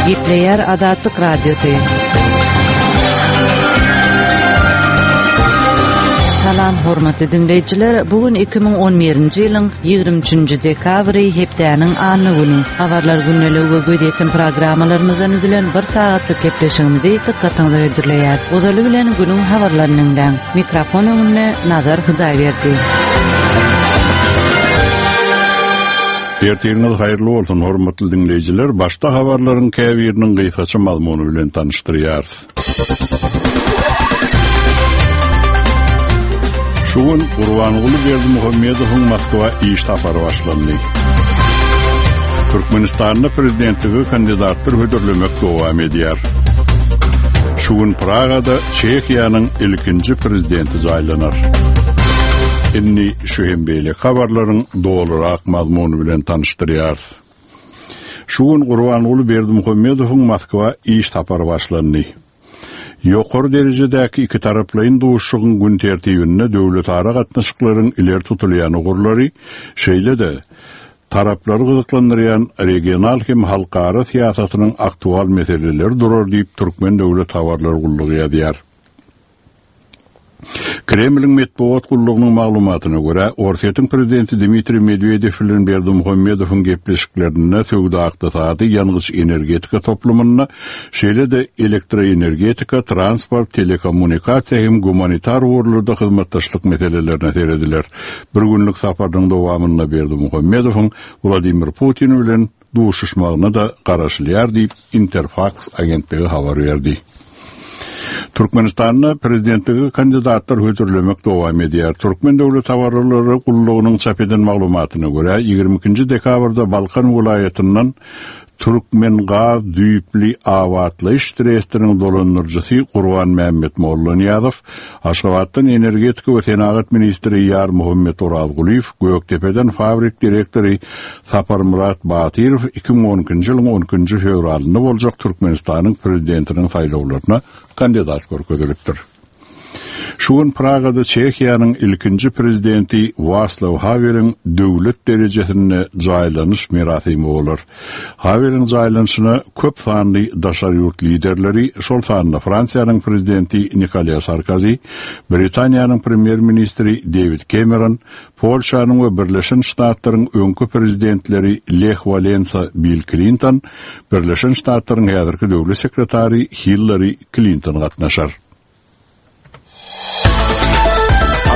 Gepleýär Azatlyk Radiosy. Salam hormatly diňleýjiler, bu gün 2011-nji ýylyň 23-nji dekabry, hepdäniň anna güni. Habarlar gündeligi we gözýetim programmalarymyzdan düzülen bir sagatlyk gepleşigimizi dykgatyňyza hödürleýäris. Ozaly bilen günüň habarlaryny diňläň. Mikrofon öňünde Nazar Hudaýberdi. Ertiriňiz haýyrly bolsun, hormatly diňleýjiler! Başda habarlaryň käbiriniň gysgaça mazmuny bilen tanyşdyrýarys. Şu gün Gurbanguly Berdimuhamedowyň Moskwa iş sapary başlandy. Türkmenistanda prezidentlige kandidatlar hödürlemek dowam edýär. Şu gün Pragada Çehiýanyň ilkinji prezidenti jaýlanar. Indi şu hem beýleki habarlaryň dolurak mazmuny bilen tanyşdyrýarys. Şu gün Gurbanguly Berdimuhamedowyň Moskwa iş sapary başlandy. Ýokary derejedäki ikitaraplaýyn duşuşygyň gün tertibinde döwletara gatnaşyklaryň ileri tutulýan ugurlary, şeýle-de, taraplary gyzyklandyrýan regional hem halkara syýasatynyň aktual meseleleri durar diýip, Türkmen döwlet habarlar gullugy ýazýar. Kremliň metbugat gullugynyň maglumatyna görä, Orsýetiň prezidenti Dmitriý Medwedew bilen Berdimuhamedowyň gepleşiklerinde söwda-ykdysady, ýangyç-energetika toplumynda, şeýle-de elektroenergetika, transport, telekommunikasiýa hem gumanitar ugurlarda hyzmatdaşlyk meselelerine serediler. Bir günlük saparynyň dowamynda Berdimuhamedowyň Wladimir Putin bilen duşuşmagyna-da garaşylýar diýip, Interfaks agentligi habar berdi. Türkmenistanda prezidentlige kandidatlar hödürlemek dowam edýär. Türkmen döwlet habarlary gullugynyň çap eden maglumatyna görä, 22-nji dekabrda Balkan welaýatyndan Türkmengaz düýpli abatlaýyş trestiniň dolandyryjysy Gurbanmämmet Mollanyýazow, Aşgabatdan energetika we senagat ministri Ýarmuhammet Orazgulyýew, Gökdepeden fabrik direktory Saparmyrat Batyrow 2012-nji ýylyň on ikinji fewralynda boljak Türkmenistanyň Prezidentiniň saýlawlaryna kandidat görkezilipdir. Şu gün Pragada Çehiýanyň ilkinji Prezidenti Waslaw Haweliň döwlet derejesinde jaýlanyş merasimi bolar. Haweliň jaýlanyşyna köp sanly daşary ýurt liderleri, şol sanda Fransiýanyň Prezidenti Nikolýa Sarkozi, Britaniýanyň Premýer-ministri Dewid Kemeron, Polşanyň we Birleşen Ştatlaryň öňki prezidentleri Leh Walensa, Bill Klinton, Birleşen Ştatlaryň häzirki döwlet sekretary Hillari Klinton gatnaşar.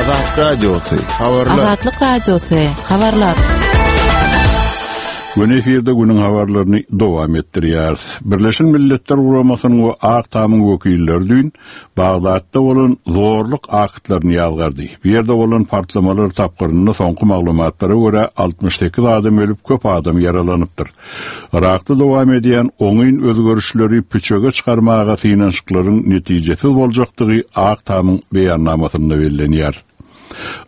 Azatlyk Radiosy, habarlar. Azatlyk Radiosy, habarlar. Göni efirde günüň habarlaryny dowam etdirýäris. Birleşen Milletler Guramasynyň we Ak Tamyň wekilleri düýn Bagdatda bolan zorluk aktlaryny ýazgardy. Bu ýerde bolan partlamalar tapgyrynda soňky maglumatlara görä 68 adam ölüp, köp adam ýaralanypdyr. Yrakda dowam edýän oňyn özgerişleri püçege çykarmaga synanyşyklaryň netijesiz boljakdygy Ak Tamyň beýannamasynda bellenýär.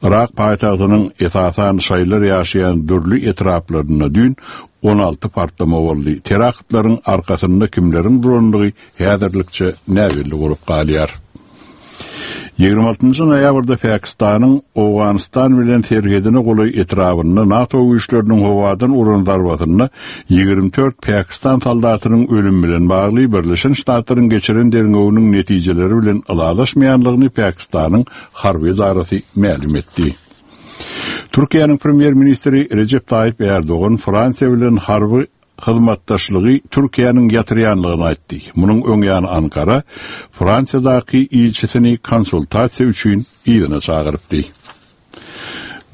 Yrak paýtagtynyň esasan şaýylar ýaşaýan dürli etraplarynda düýn 16 partlama boldy. Teraktlaryň arkasynda kimleriň durandygy häzirlikçe näbelli bolup galýar. 26-njy noýabrda Pakistanyň Owganystan bilen serhedine golaý etrabynda NATO güýçleriniň howadan uran zarbasynda 24 pakistan soldatynyň ölümi bilen bagly Birleşen Ştatlaryň geçiren derňewiniň netijeleri bilen ylalaşmaýanlygyny Pakistanyň harby edarasy mälim etdi. Türkiýäniň premýer-ministri Rejep Taýyp Ärdogan Fransiýa bilen harby hyzmatdaşlygy Türkiýäniň ýatyrýanlygyny aýtdy. Munuň öň ýany Ankara Fransiýadaky ilçisini konsultasiýa üçin yzyna çagyrypdy.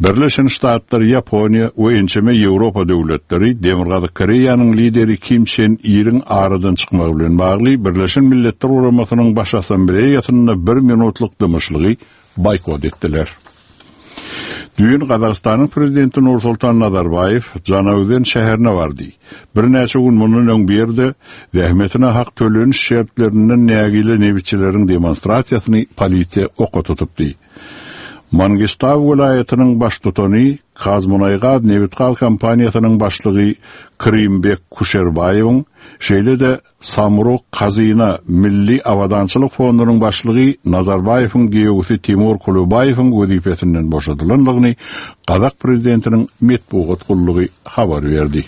Birleşen Ştatlar, Ýaponiýa we ençeme Ýewropa döwletleri Demirgazyk Koreýanyň lideri Kim Çen Iriň aradan çykmagy bilen bagly Birleşen Milletler Guramasynyň Baş Assambleýasynda bir minutlyk dymyşlygy boýkot etdiler. Düýn Gazagystanyň prezidenti Nursultan Nazarbaýew Žanaözen şäherine bardy. Birnäçe gün mundan öň bu ýerde zähmetine hak töleniş şertlerinden nägile nebitçileriň demonstrasiýasyny polisiýa oka tutupdy. Mangistau welaýatynyň baştutany, KazMunaýGaz nebitgaz kompaniýasynyň başlygy Krymbek Kuşerbaýewiň, şeýle-de Samruk Kazyna Milli abadançylyk fondunyň başlygy Nazarbaýewiň giýewisi Timur Kulubaýewiň wezipesinden boşadylandygyny gazak prezidentiniň metbugat gullugy habar berdi.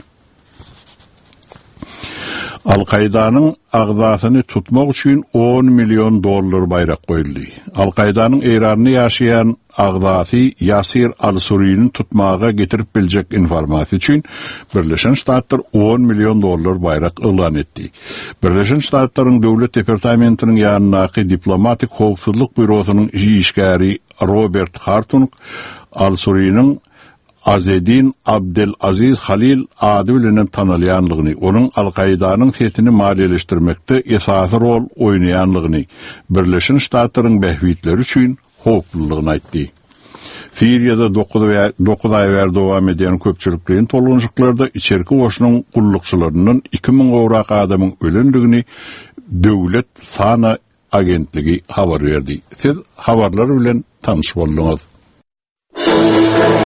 Al-Kaýdanyň agzasyny tutmak üçin on million dollar baýrak goýuldy. Al-Kaýdanyň Eýranda ýaşaýan agzasy Ýasir al-Surini tutmaga getirip biljek informasiýa üçin Birleşen Ştatlar on million dollar baýrak yglan etdi. Birleşen Ştatlaryň Döwlet departamentiniň ýanyndaky Diplomatik howpsuzlyk býurosynyň işgäri Robert Hartung al-Suriniň Azedin Abdel Aziz Halil ady bilenem tanalýanlygyny, onuň Al-Kaidanyň setini maliýeleşdirmekde esasy rol oýnaýanlygyny, Birleşen Ştatlaryň bähbitleri üçin howplulygyny aýtdy. Siriýada dokuz aý bäri dowam edýän köpçülikleýin tolgunyşyklarda içerki goşunyň gullukçylaryndan 2000 gowrak adamyň ölendigini döwlet SANA agentligi habar berdi. Siz habarlar bilen tanyş bolduňyz.